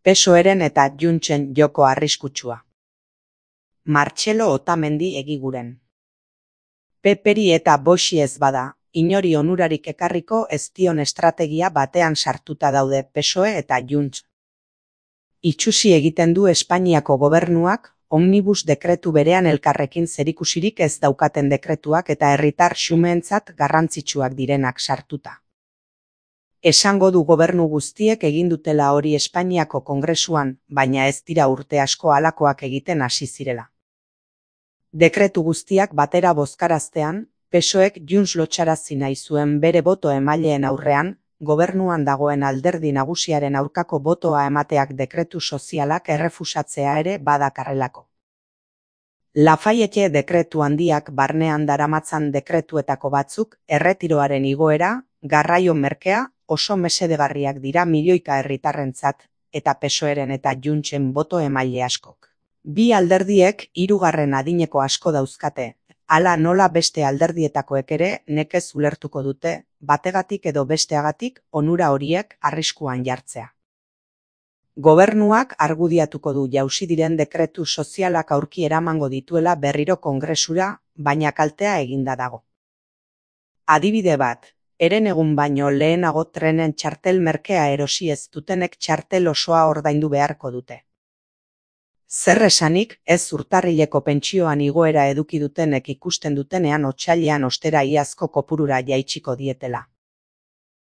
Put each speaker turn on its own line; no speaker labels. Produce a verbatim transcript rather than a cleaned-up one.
Pesoeren eta Juntsen joko arriskutsua. Martxelo Otamendi egiguren. Peperi eta Boxi ez bada, inori onurarik ekarriko ez dion estrategia batean sartuta daude P S O E eta Junts. Itsusi egiten du Espainiako gobernuak, omnibus dekretu berean elkarrekin zerikusirik ez daukaten dekretuak eta herritar xumeentzat garrantzitsuak direnak sartuta. Esango du gobernu guztiek egin dutela hori Espainiako Kongresuan, baina ez dira urte asko halakoak egiten hasi zirela. Dekretu guztiak batera bozkaraztean, P S O Ek Junts lotxarazi nahi zuen bere boto emaileen aurrean, gobernuan dagoen alderdi nagusiaren aurkako botoa emateak dekretu sozialak errefusatzea ere badakarrelako. Lafayette dekretu handiak barnean daramatzan dekretuetako batzuk erretiroaren igoera, garraio merkea, oso mesedegarriak dira milioika herritarrentzat, eta P S O Eren eta Juntsen boto emaile askok. Bi alderdiek hirugarren adineko asko dauzkate, hala nola beste alderdietakoek ere nekez ulertuko dute, bategatik edo besteagatik onura horiek arriskuan jartzea. Gobernuak argudiatuko du jausi diren dekretu sozialak aurki eramango dituela berriro Kongresura, baina kaltea eginda dago. Adibide bat, herenegun baino lehenago trenen txartel merkea erosi ez dutenek txartel osoa ordaindu beharko dute. Zer esanik, ez urtarrileko pentsioan igoera eduki dutenek ikusten dutenean otsailean ostera iazko kopurura jaitsiko dietela.